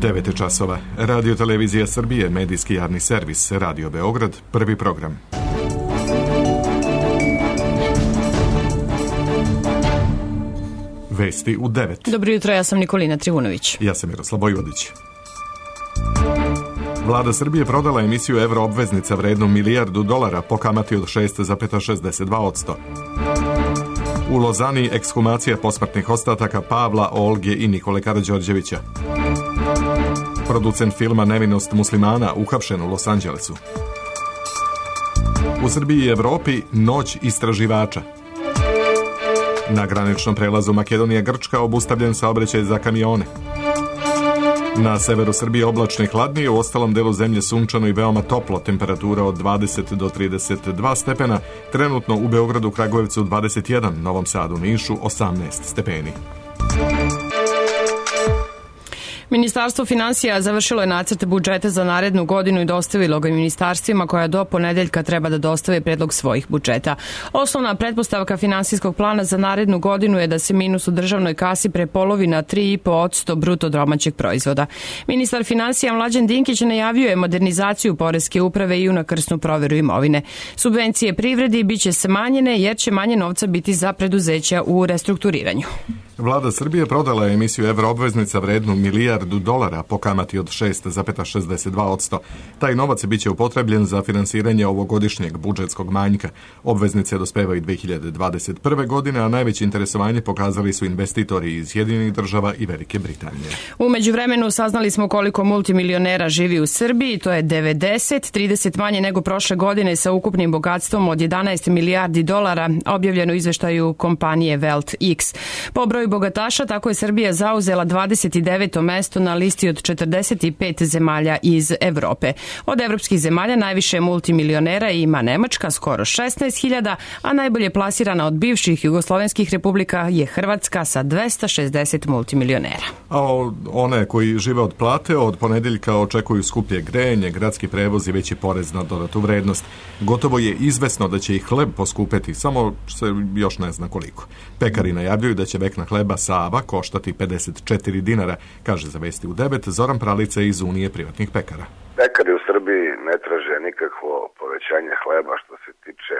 9 časova. Radio Televizija Srbije, medijski javni servis, Radio Beograd, prvi program. Vesti u 9. Dobro jutro, ja sam Nikolina Trivunović. Ja sam Miroslav Vojvodić. Vlada Srbije prodala emisiju evroobveznica vrednu $1 milijardu po kamati od 6,62%. U Lozani ekshumacija posmrtnih ostataka Pavla, Olge i Nikole Karađorđevića. Producent filma Nevinost muslimana uhapšen u Los Angelesu. U Srbiji i Evropi noć istraživača. Na graničnom prelazu Makedonija-Grčka obustavljen saobraćaj za kamione. Na severu Srbije oblačno i hladnije, u ostalom delu zemlje sunčano i veoma toplo, temperatura od 20 do 32 stepena, trenutno u Beogradu, Kragujevcu 21, Novom Sadu, Nišu 18 stepeni. Ministarstvo finansija završilo je nacrt budžeta za narednu godinu i dostavilo ga ministarstvima koja do ponedeljka treba da dostave predlog svojih budžeta. Osnovna pretpostavka finansijskog plana za narednu godinu je da se minus u državnoj kasi prepolovi na 3,5% bruto domaćeg proizvoda. Ministar finansija Mlađan Dinkić najavio je modernizaciju poreske uprave i unakrsnu proveru imovine. Subvencije privredi biće smanjene jer će manje novca biti za preduzeća u restrukturiranju. Vlada Srbije prodala je emisiju evroobveznica vrednu $1 milijardu po kamati od 6,62%. Taj novac biće upotrebljen za finansiranje ovogodišnjeg budžetskog manjka. Obveznice dospevaju 2021. godine, a najveće interesovanje pokazali su investitori iz Sjedinjenih Država i Velike Britanije. U međuvremenu saznali smo koliko multimilionera živi u Srbiji, to je 30 manje nego prošle godine sa ukupnim bogatstvom od $11 milijardi, objavljeno u izveštaju kompanije Welt X. Po broju bogataša tako je Srbija zauzela 29. mesto na listi od 45 zemalja iz Evrope. Od evropskih zemalja najviše multimilionera ima Nemačka, skoro 16.000, a najbolje plasirana od bivših jugoslovenskih republika je Hrvatska sa 260 multimilionera. A one koji žive od plate od ponedeljka očekuju skuplje grejanje, gradski prevoz i veći porez na dodatu vrednost. Gotovo je izvesno da će i hleb poskupeti, samo se još ne zna koliko. Pekari najavljuju da će vekna hleba Sava koštati $54, kaže za Vesti u 9 Zoran Pralica iz Unije privatnih pekara. Pekari u Srbiji ne traže nikakvo povećanje hleba što se tiče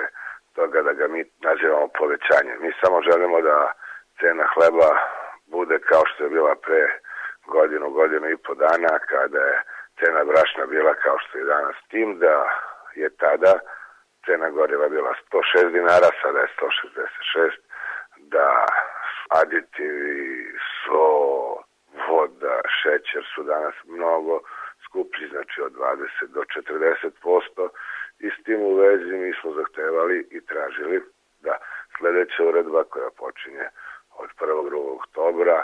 toga da ga mi nazivamo povećanje. Mi samo želimo da cena hleba bude kao što je bila pre godinu i po dana, kada je cena brašna bila kao što je danas, tim da je tada cena goriva bila $106, sada je 166, da aditivi, so, voda, šećer su danas mnogo skuplji, znači od 20 do 40%, i s tim u vezi mi smo zahtevali i tražili da sledeća uredba koja počinje od 1. oktobra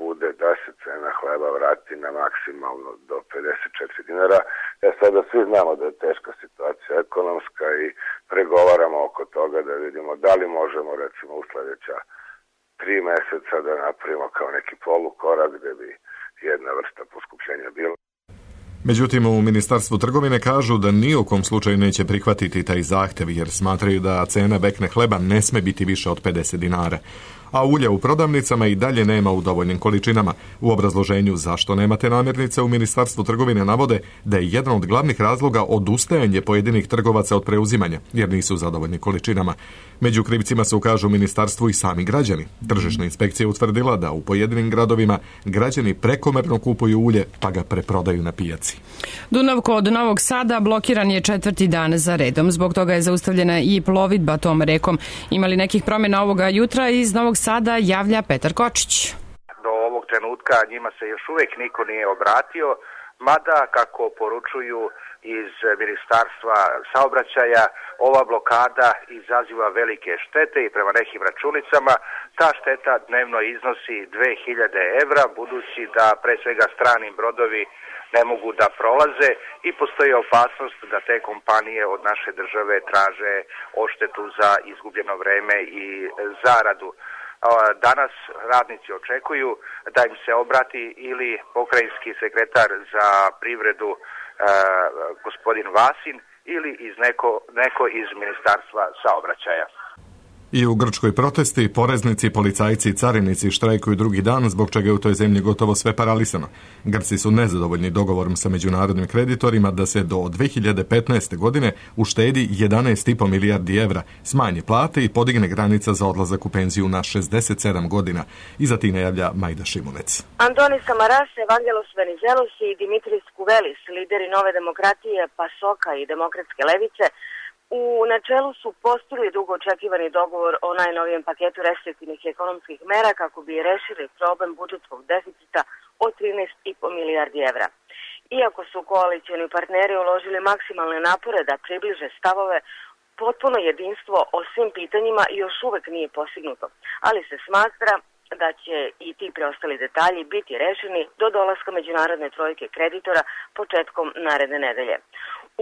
bude da se cena hleba vrati na maksimalno do $54. Sada svi znamo da je teška situacija ekonomska i pregovaramo oko toga da vidimo da li možemo recimo u sledeća 3 meseca da napravimo kao neki polukorak gde bi jedna vrsta poskupljenja bila. Međutim, u Ministarstvu trgovine kažu da ni u kom slučaju neće prihvatiti taj zahtev jer smatraju da cena vekne hleba ne sme biti više od $50. A ulja u prodavnicama i dalje nema u dovoljnim količinama. U obrazloženju zašto nemate namirnice u Ministarstvu trgovine navode da je jedan od glavnih razloga odustajanje pojedinih trgovaca od preuzimanja, jer nisu zadovoljni količinama. Među krivcima se ukažu u ministarstvu i sami građani. Tržišna inspekcija je utvrdila da u pojedinim gradovima građani prekomerno kupuju ulje pa ga preprodaju na pijaci. Dunavko od Novog Sada blokiran je 4. dan za redom. Zbog toga je zaustavljena i plovidba tom rekom. Imali nekih promjena ovoga jutra? Iz Novog Sada javlja Petar Kočić. Do ovog trenutka njima se još uvijek niko nije obratio, mada kako poručuju iz Ministarstva saobraćaja, ova blokada izaziva velike štete i prema nekim računicama ta šteta dnevno iznosi 2000 evra, budući da pre svega strani brodovi ne mogu da prolaze i postoji opasnost da te kompanije od naše države traže odštetu za izgubljeno vreme i zaradu. Danas radnici očekuju da im se obrati ili pokrajinski sekretar za privredu gospodin Vasin ili neko iz Ministarstva saobraćaja. I u Grčkoj protesti, poreznici, policajci i carinici štrajkuju drugi dan, zbog čega je u toj zemlji gotovo sve paralisano. Grci su nezadovoljni dogovorom sa međunarodnim kreditorima da se do 2015. godine uštedi 11,5 milijardi evra, smanji plate i podigne granica za odlazak u penziju na 67 godina. Iza tine javlja Majda Šimunec. Antonis Samaras, Evangelos Venizelos i Dimitris Kouvelis, lideri Nove demokratije, PASOK-a i Demokratske levice, u načelu su postigli dugo očekivani dogovor o najnovijem paketu restriktivnih ekonomskih mera kako bi rešili problem budžetskog deficita od 13,5 milijardi evra. Iako su koalicioni partneri uložili maksimalne napore da približe stavove, potpuno jedinstvo o svim pitanjima još uvek nije postignuto, ali se smatra da će i ti preostali detalji biti rešeni do dolaska međunarodne trojke kreditora početkom naredne nedelje.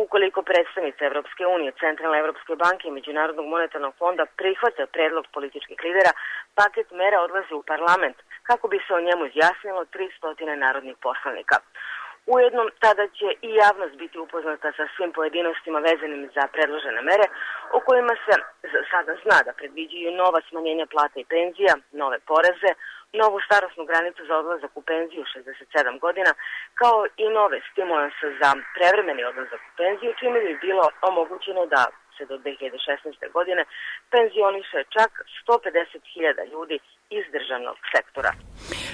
Ukoliko predstavnice Evropske unije, Centralne Evropske banke i Međunarodnog monetarnog fonda prihvate predlog političkih lidera, paket mera odlazi u parlament kako bi se o njemu izjasnilo 300 narodnih poslanika. Ujedno, tada će i javnost biti upoznata sa svim pojedinostima vezanim za predložene mere, o kojima se sada zna da predviđaju nova smanjenja plata i penzija, nove poreze, novu starosnu granicu za odlazak u penziju 67 godina, kao i nove stimulanse za prevremeni odlazak u penziju, čime bi bilo omogućeno da se do 2016. godine penzioniše čak 150.000 ljudi iz državnog sektora.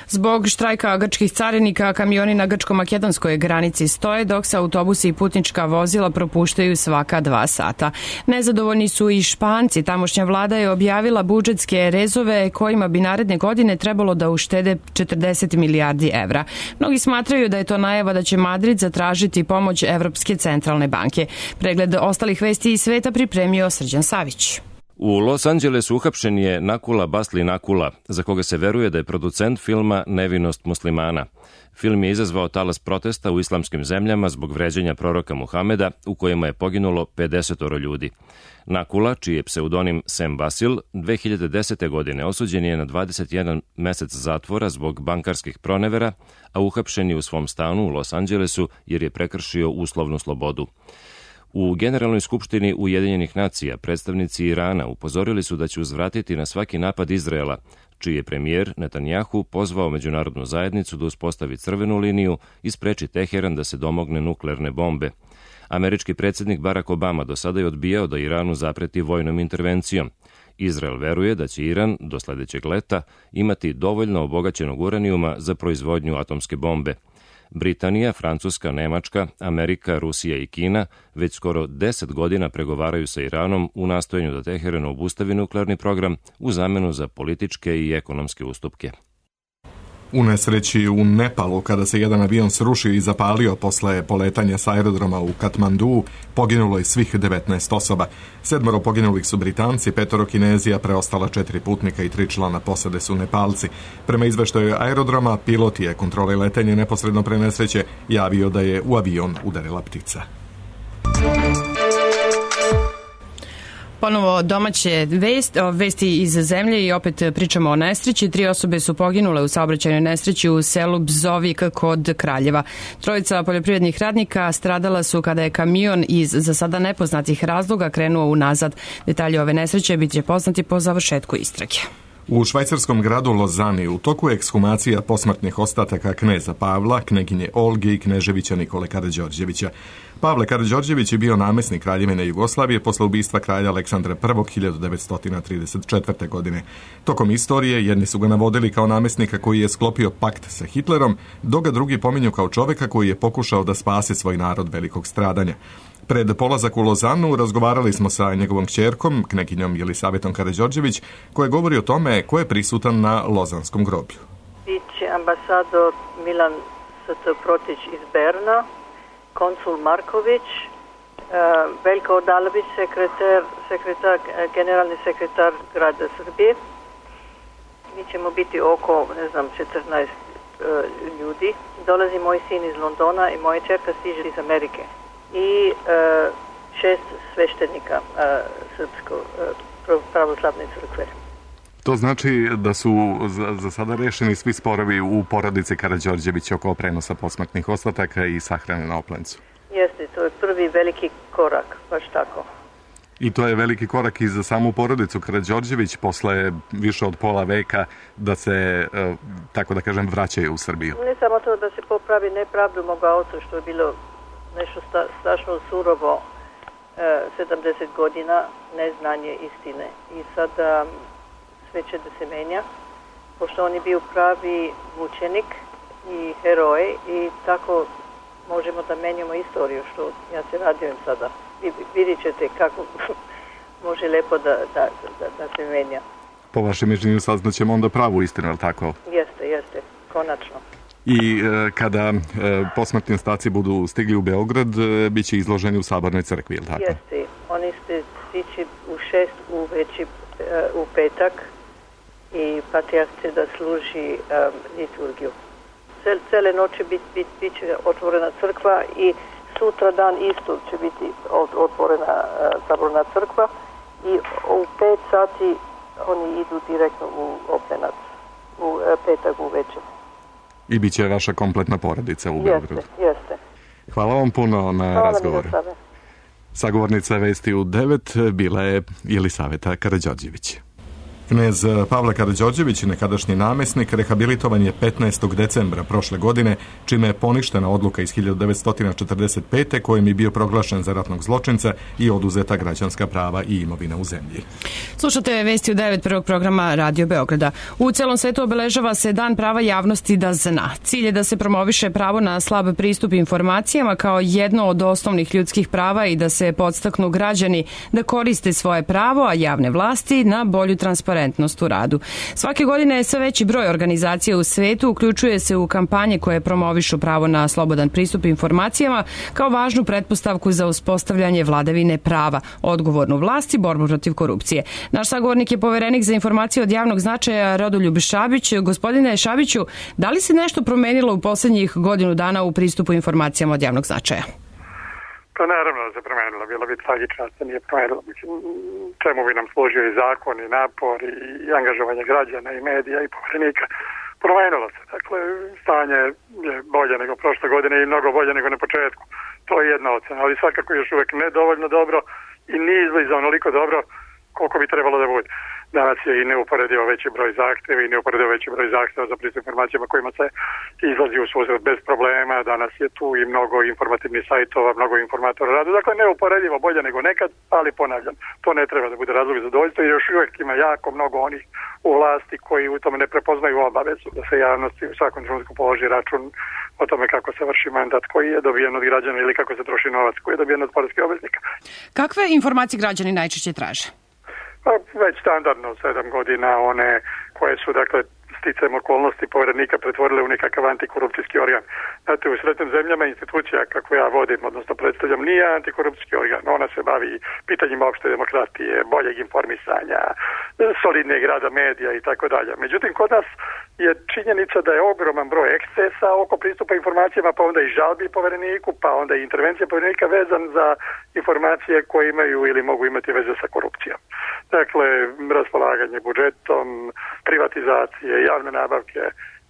Zbog štrajka grčkih carinika, kamioni na grčko-makedonskoj granici stoje, dok se autobusi i putnička vozila propuštaju svaka 2 sata. Nezadovoljni su i Španci. Tamošnja vlada je objavila budžetske rezove kojima bi naredne godine trebalo da uštede 40 milijardi evra. Mnogi smatraju da je to najava da će Madrid zatražiti pomoć Evropske centralne banke. Pregled ostalih vesti iz sveta pripremio Srđan Savić. U Los Angelesu uhapšen je Nakula Basli Nakula, za koga se veruje da je producent filma Nevinost muslimana. Film je izazvao talas protesta u islamskim zemljama zbog vređanja proroka Muhameda, u kojima je poginulo 50 ljudi. Nakula, čiji je pseudonim Sam Basil, 2010. godine osuđen je na 21 mesec zatvora zbog bankarskih pronevera, a uhapšen je u svom stanu u Los Angelesu jer je prekršio uslovnu slobodu. U Generalnoj skupštini Ujedinjenih nacija predstavnici Irana upozorili su da će uzvratiti na svaki napad Izraela, čiji je premijer Netanjahu pozvao međunarodnu zajednicu da uspostavi crvenu liniju i spreči Teheran da se domogne nuklearne bombe. Američki predsjednik Barack Obama do sada je odbijao da Iranu zapreti vojnom intervencijom. Izrael veruje da će Iran do sledećeg leta imati dovoljno obogaćenog uranijuma za proizvodnju atomske bombe. Britanija, Francuska, Nemačka, Amerika, Rusija i Kina već skoro 10 godina pregovaraju sa Iranom u nastojanju da Teheran obustavi nuklearni program u zamenu za političke i ekonomske ustupke. U nesreći u Nepalu, kada se jedan avion srušio i zapalio posle poletanja sa aerodroma u Katmanduu, poginulo je svih 19 osoba. 7 poginulih su Britanci, 5 Kinezija, preostala 4 putnika i 3 člana posade su Nepalci. Prema izveštaju aerodroma, pilot je kontrole letenja neposredno pre nesreće javio da je u avion udarila ptica. Ponovo domaće vesti iz zemlje i opet pričamo o nesreći. 3 osobe su poginule u saobraćajnoj nesreći u selu Bzovik kod Kraljeva. 3 poljoprivrednih radnika stradala su kada je kamion iz za sada nepoznatih razloga krenuo unazad. Detalji ove nesreće bit će poznati po završetku istrage. U švajcarskom gradu Lozani u toku je ekshumacija posmrtnih ostataka kneza Pavla, kneginje Olge i kneževića Nikole Karađorđevića. Pavle Karađorđević je bio namesnik Kraljevine Jugoslavije posle ubistva kralja Aleksandra I 1934. godine. Tokom istorije jedni su ga navodili kao namesnika koji je sklopio pakt sa Hitlerom, dok ga drugi pominju kao čoveka koji je pokušao da spase svoj narod velikog stradanja. Pred polazak u Lozanu razgovarali smo sa njegovom kćerkom, kneginjom Jelisavetom Karađorđević, koja govori o tome ko je prisutan na Lozanskom groblju. Biće ambasador Milan St. Protić iz Berna, konsul Marković, Veljko Odalović, generalni sekretar grada Srbije. Mi ćemo biti oko, 14 ljudi. Dolazi moj sin iz Londona i moja čerka stiže iz Amerike. I 6 sveštenika Srpsko pravoslavne crkve. To znači da su za sada rešeni svi sporovi u porodici Karađorđević oko prenosa posmrtnih ostataka i sahrane na Oplencu. Jeste, to je prvi veliki korak, baš tako. I to je veliki korak i za samu porodicu Karađorđević posle više od pola veka da se, tako da kažem, vraćaju u Srbiju. Ne samo to da se popravi nepravdu moga oca, što je bilo nešto strašno surovo, 70 godina neznanje istine. I sada sve će da se menja, pošto on je bio pravi mučenik i heroj i tako možemo da menjamo istoriju, što ja se radujem sada. Vidjet ćete kako može lepo da se menja. Po vašem mišljenju saznaćemo onda pravu istinu, je li tako? Jeste, konačno. I kada posmrtni ostaci budu stigli u Beograd, bit će izloženi u Sabornoj crkvi, je li tako? Jeste, oni ste stići u 6 uveče u petak i patrijarh će da služi liturgiju. Cele noći bit će otvorena crkva i sutra dan isto će biti otvorena Saborna crkva i u 5 sati oni idu direktno u Oplenac, u petak uveče. I bit će vaša kompletna porodica u Beogradu. Jeste. Hvala vam puno na razgovoru. Sagovornica Vesti u 9 bila je Jelisaveta Karađorđević. Knez Pavle Karađorđević, nekadašnji namesnik, rehabilitovan je 15. decembra prošle godine, čime je poništena odluka iz 1945. kojim je bio proglašen za ratnog zločinca i oduzeta građanska prava i imovina u zemlji. Slušate Vesti u 9 prvog programa Radio Beograda. U celom svetu obeležava se Dan prava javnosti da zna. Cilj je da se promoviše pravo na slab pristup informacijama kao jedno od osnovnih ljudskih prava i da se podstaknu građani da koriste svoje pravo, a javne vlasti na bolju transparentnost u radu. Svake godine je sve veći broj organizacija u svetu uključuje se u kampanje koje promovišu pravo na slobodan pristup informacijama kao važnu pretpostavku za uspostavljanje vladavine prava, odgovornu vlast i borbu protiv korupcije. Naš sagovornik je poverenik za informacije od javnog značaja Rodoljub Šabić. Gospodine Šabiću, da li se nešto promenilo u poslednjih godinu dana u pristupu informacijama od javnog značaja? Pa naravno da se promenilo, bilo bi tragično da se nije promenilo. Mislim, čemu bi nam služio i zakon, i napor, i angažovanje građana, i medija, i poverenika. Promenilo se. Dakle, stanje je bolje nego prošle godine i mnogo bolje nego na početku. To je jedna ocena, ali svakako još uvek nedovoljno dobro i nije izbliza onoliko dobro koliko bi trebalo da bude. Danas je i neuporedivo veći broj zahtjeva i neuporedivo veći broj zahtjeva za pristup informacijama kojima se izlazi u susret bez problema. Danas je tu i mnogo informativnih sajtova, mnogo informatora radu. Dakle, neuporedivo bolje nego nekad, ali ponavljam, to ne treba da bude razlog za zadovoljstvo jer još uvijek ima jako mnogo onih u vlasti koji u tome ne prepoznaju obavezu da se javnosti u svakom trenutku položi račun o tome kako se vrši mandat koji je dobijen od građana ili kako se troši novac koji je dobijen od poreskih obveznika. Kakve informacije građani najčešće traže? Pa već standardno 7 godina one koje su, dakle, sticajem okolnosti poverenika pretvorile u nekakav antikorupcijski organ. Znate, u sretnim zemljama institucija, kako ja vodim, odnosno predstavljam, nije antikorupcijski organ. Ona se bavi pitanjima opšte demokratije, boljeg informisanja, solidnijeg rada medija i tako dalje. Međutim, kod nas je činjenica da je ogroman broj ekscesa oko pristupa informacijama, pa onda i žalbi povereniku, pa onda i intervencija poverenika vezan za informacije koje imaju ili mogu imati veze sa korupcijom. Dakle, raspolaganje budžetom, privatizacije, javne nabavke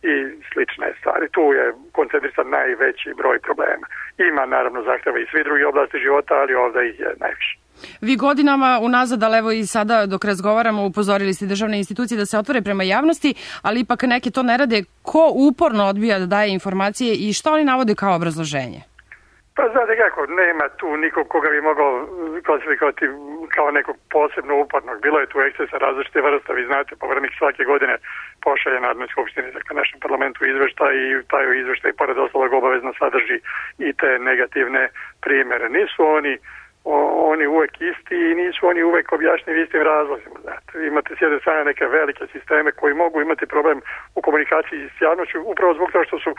i slične stvari. Tu je koncentrisan najveći broj problema. Ima naravno zahtjeva i svi drugi oblasti života, ali ovdje ih je najviše. Vi godinama unazad, ali evo i sada dok razgovaramo, upozorili ste državne institucije da se otvore prema javnosti, ali ipak neke to ne rade. Ko uporno odbija da daje informacije i što oni navode kao obrazloženje? Pa znate kako, nema tu nikog koga bi mogao klasifikovati kao nekog posebno upornog. Bilo je tu ekscesa različite vrsta, vi znate, poverenik svake godine pošalje Narodnoj skupštini, dakle našem parlamentu izveštaj i taj izveštaj pored ostalog obavezno sadrži i te negativne primere. Nisu oni uvek isti i nisu oni uvek objašnjeni istim razlozima. Znate. Imate s jedne strane neke velike sisteme koji mogu imati problem u komunikaciji s javnošću upravo zbog toga što su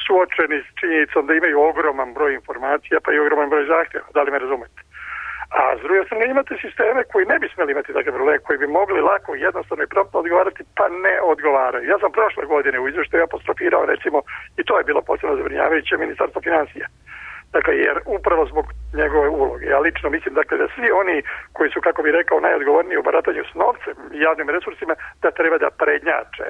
suočeni s činjenicom da imaju ogroman broj informacija pa i ogroman broj zahtjeva. Da li me razumete? A s druge strane imate sisteme koji ne bi smjeli imati takve probleme, koji bi mogli lako, jednostavno i promptno odgovarati, pa ne odgovaraju. Ja sam prošle godine u izvještaju apostrofirao, recimo, i to je bilo posebno zabrinjavajuće, Ministarstvo financija. Dakle, jer upravo zbog njegove uloge. Ja lično mislim, dakle, da svi oni koji su, kako bi rekao, najodgovorniji u baratanju s novcem i javnim resursima, da treba da prednjače.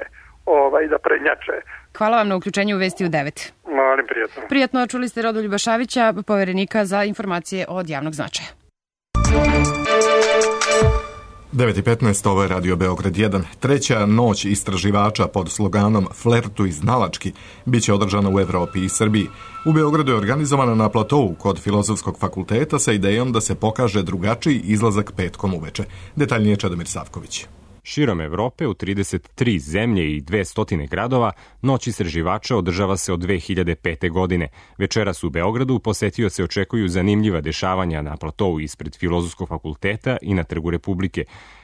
Hvala vam na uključenju u Vesti u 9. Molim, prijatno. Prijatno, čuli ste Rodoljuba Šabića, poverenika za informacije od javnog značaja. 9:15, ovo je Radio Beograd 1. Treća noć istraživača pod sloganom Flertu iznalački biće održana u Evropi i Srbiji. U Beogradu je organizovana na platovu kod Filozofskog fakulteta sa idejom da se pokaže drugačiji izlazak petkom uveče. Detaljnije Čedomir Savković. Širom Evrope u 33 zemlje i 200 gradova noć istraživača održava se od 2005. godine. Večeras u Beogradu posetioce očekuju zanimljiva dešavanja na platovu ispred Filozofskog fakulteta i na Trgu Republike,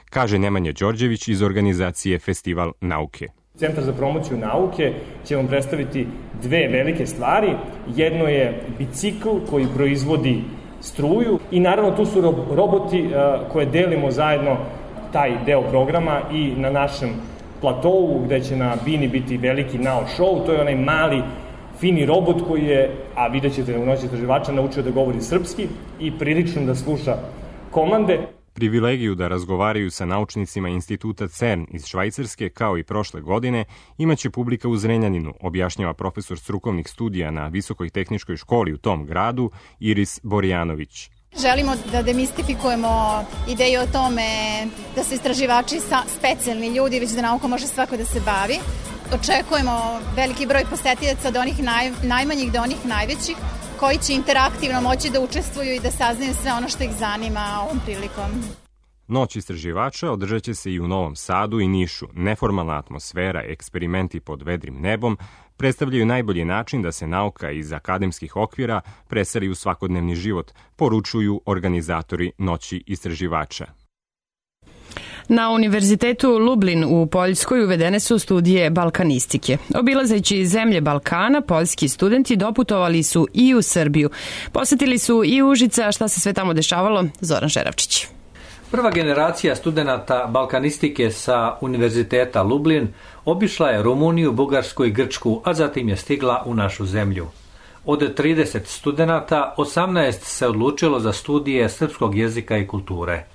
kaže Nemanja Đorđević iz organizacije Festival nauke. Centar za promociju nauke će vam predstaviti dve velike stvari. Jedno je bicikl koji proizvodi struju i naravno tu su roboti koje delimo zajedno taj deo programa i na našem platovu gde će na bini biti veliki Now Show. To je onaj mali fini robot koji je, a vidjet ćete u noći istraživača, naučio da govori srpski i prilično da sluša komande. Privilegiju da razgovaraju sa naučnicima instituta CERN iz Švajcarske, kao i prošle godine, imaće publika u Zrenjaninu, objašnjava profesor strukovnih studija na Visokoj tehničkoj školi u tom gradu, Iris Borjanović. Želimo da demistifikujemo ideju o tome da su istraživači specijalni ljudi, već da nauka može svako da se bavi. Očekujemo veliki broj posetilaca od onih najmanjih do onih najvećih, koji će interaktivno moći da učestvuju i da saznaju sve ono što ih zanima ovom prilikom. Noć istraživača održat će se i u Novom Sadu i Nišu. Neformalna atmosfera, eksperimenti pod vedrim nebom predstavljaju najbolji način da se nauka iz akademskih okvira preseli u svakodnevni život, poručuju organizatori Noći istraživača. Na Univerzitetu Lublin u Poljskoj uvedene su studije balkanistike. Obilazeći zemlje Balkana, poljski studenti doputovali su i u Srbiju. Posetili su i Užice, šta se sve tamo dešavalo? Zoran Žeravčić. Prva generacija studenata balkanistike sa Univerziteta Lublin obišla je Rumuniju, Bugarsku i Grčku, a zatim je stigla u našu zemlju. Od 30 studenata, 18 se odlučilo za studije srpskog jezika i kulture.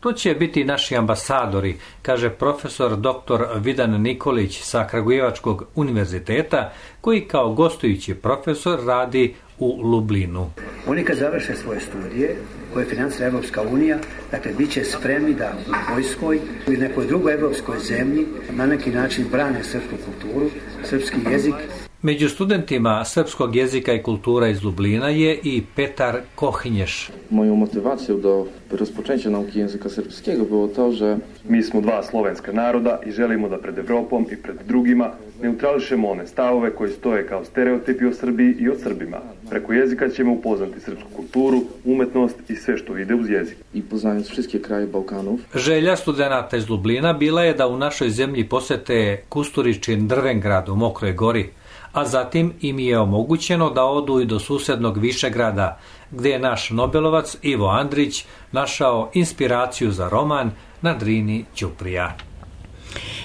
To će biti naši ambasadori, kaže profesor dr. Vidan Nikolić sa Kragujevačkog univerziteta, koji kao gostujući profesor radi u Lublinu. Oni kad završe svoje studije, koje financira Evropska unija, dakle, bit će spremni da u Poljskoj ili nekoj drugoj evropskoj zemlji na neki način brane srpsku kulturu, srpski jezik. Među studentima srpskog jezika i kultura iz Lublina je i Petar Kohinješ. Moją motywacją do rozpoczęcia nauki języka srpskiego było to, że mi smo dva slovenska naroda i želimo da pred Evropom i pred drugima neutrališemo one stavove koji stoje kao stereotipi o Srbiji i o Srbima. Preko jezika ćemo upoznati srpsku kulturu, umetnost i sve što ide uz jezik. I poznając wszystkie kraje Bałkanów. Želja studenata iz Lublina bila je da u našoj zemlji posete Kusturičin Drvengrad u Mokroj Gori, a zatim im je omogućeno da odu i do susednog Višegrada, gde je naš Nobelovac Ivo Andrić našao inspiraciju za roman Na Drini Ćuprija.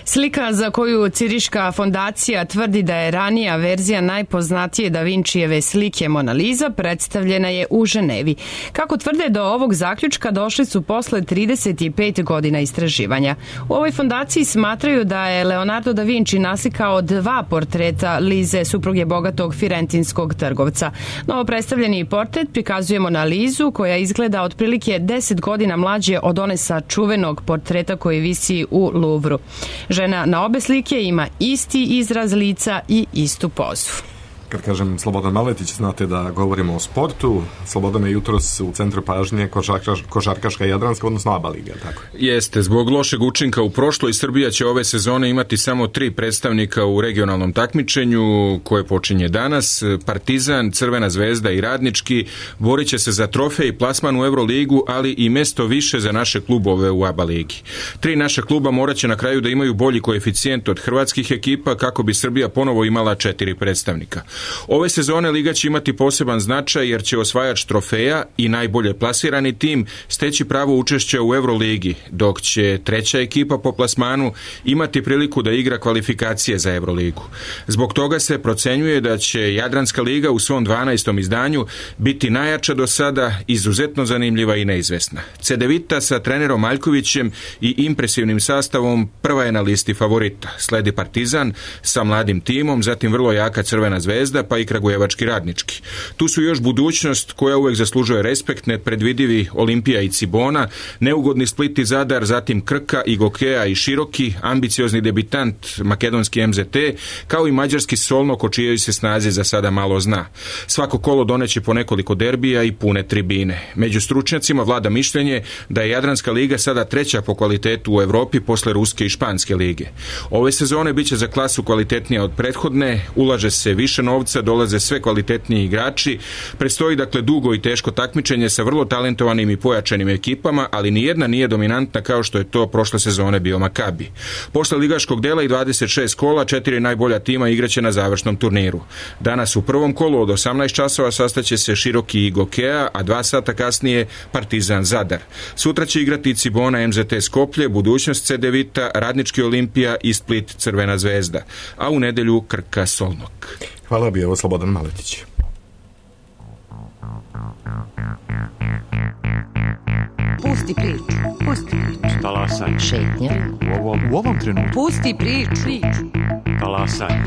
Slika za koju Ciriška fondacija tvrdi da je ranija verzija najpoznatije Da Vinčijeve slike Mona Lisa predstavljena je u Ženevi. Kako tvrde, do ovog zaključka došli su posle 35 godina istraživanja. U ovoj fondaciji smatraju da je Leonardo da Vinci naslikao 2 portreta Lize, supruge bogatog firentinskog trgovca. Novo predstavljeni portret prikazuje Mona Lisu, koja izgleda otprilike 10 godina mlađe od one sa čuvenog portreta koji visi u Louvru. Žena na obe slike ima isti izraz lica i istu pozu. Kad kažem Slobodan Maletić, znate da govorimo o sportu. Slobodan je jutros u centru pažnje košarkaška Jadranska, odnosno ABA liga, tako? Jeste, zbog lošeg učinka u prošloj, Srbija će ove sezone imati samo 3 predstavnika u regionalnom takmičenju koje počinje danas. Partizan, Crvena zvezda i Radnički borit će se za trofej i plasman u Euroligu, ali i mesto više za naše klubove u ABA ligi. 3 naša kluba morat će na kraju da imaju bolji koeficijent od hrvatskih ekipa kako bi Srbija ponovo imala 4 predstavnika. Ove sezone Liga će imati poseban značaj jer će osvajač trofeja i najbolje plasirani tim steći pravo učešća u Euroligi, dok će treća ekipa po plasmanu imati priliku da igra kvalifikacije za Euroligu. Zbog toga se procenjuje da će Jadranska liga u svom 12. izdanju biti najjača do sada, izuzetno zanimljiva i neizvesna. Cedevita sa trenerom Aljkovićem i impresivnim sastavom prva je na listi favorita. Sledi Partizan sa mladim timom, zatim vrlo jaka Crvena zvezda, Zvezda pa i kragujevački Radnički. Tu su još budućnost koja uvek zaslužuje respekt, nepredvidivi Olimpija i Cibona, neugodni Split i Zadar, zatim Krka i Gokeja i Široki, ambiciozni debitant makedonski MZT, kao i mađarski Solnok o čijoj se snazi za sada malo zna. Svako kolo doneće po nekoliko derbija i pune tribine. Među stručnjacima vlada mišljenje da je Jadranska liga sada treća po kvalitetu u Evropi posle Ruske i Španske lige. Ove sezone biće za klasu kvalitetnija od prethodne, ulaže se više novca, dolaze sve kvalitetniji igrači, predstoji dakle dugo i teško takmičenje sa vrlo talentovanim i pojačanim ekipama, ali nijedna nije dominantna kao što je to prošle sezone bio Makabi. Posle ligaškog dela i 26 kola, 4 najbolja tima igraće na završnom turniru. Danas u prvom kolu od 18 časova sastaće se Široki i Gokeja, a 2 sata kasnije Partizan Zadar. Sutra će igrati Cibona MZT Skoplje, budućnost CD Vita, Radnički Olimpija i Split Crvena Zvezda, a u nedelju Krka Solnok. Hvala, bio Slobodan Maletić. Pusti priču, pusti priču. Talasaj. Šetnja. U ovom trenutku. Pusti priču. Talasaj.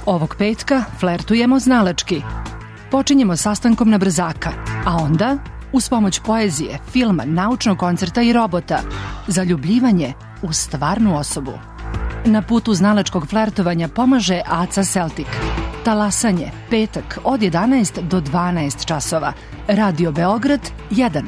Ovog petka flertujemo znalački. Počinjemo sastankom na brzaka, a onda, uz pomoć poezije, filma, naučnog koncerta i robota, zaljubljivanje u stvarnu osobu. Na putu znalačkog flertovanja pomaže Aca Celtic. Talasanje, petak od 11 do 12 časova. Radio Beograd 1.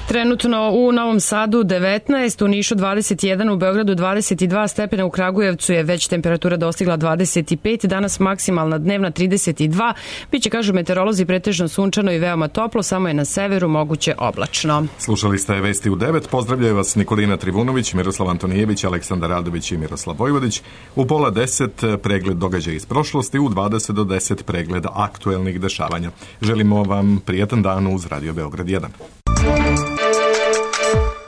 Trenutno u Novom Sadu 19, u Nišu 21, u Beogradu 22 stepena, u Kragujevcu je već temperatura dostigla 25, danas maksimalna dnevna 32, biće, kažu meteorolozi, pretežno sunčano i veoma toplo, samo je na severu moguće oblačno. Slušali ste Vesti u 9, pozdravljaju vas Nikolina Trivunović, Miroslav Antonijević, Aleksandar Radović i Miroslav Vojvodić. U 9:30 pregled događaja iz prošlosti, u 20 do 10 pregled aktuelnih dešavanja. Želimo vam prijatan dan uz Radio Beograd 1.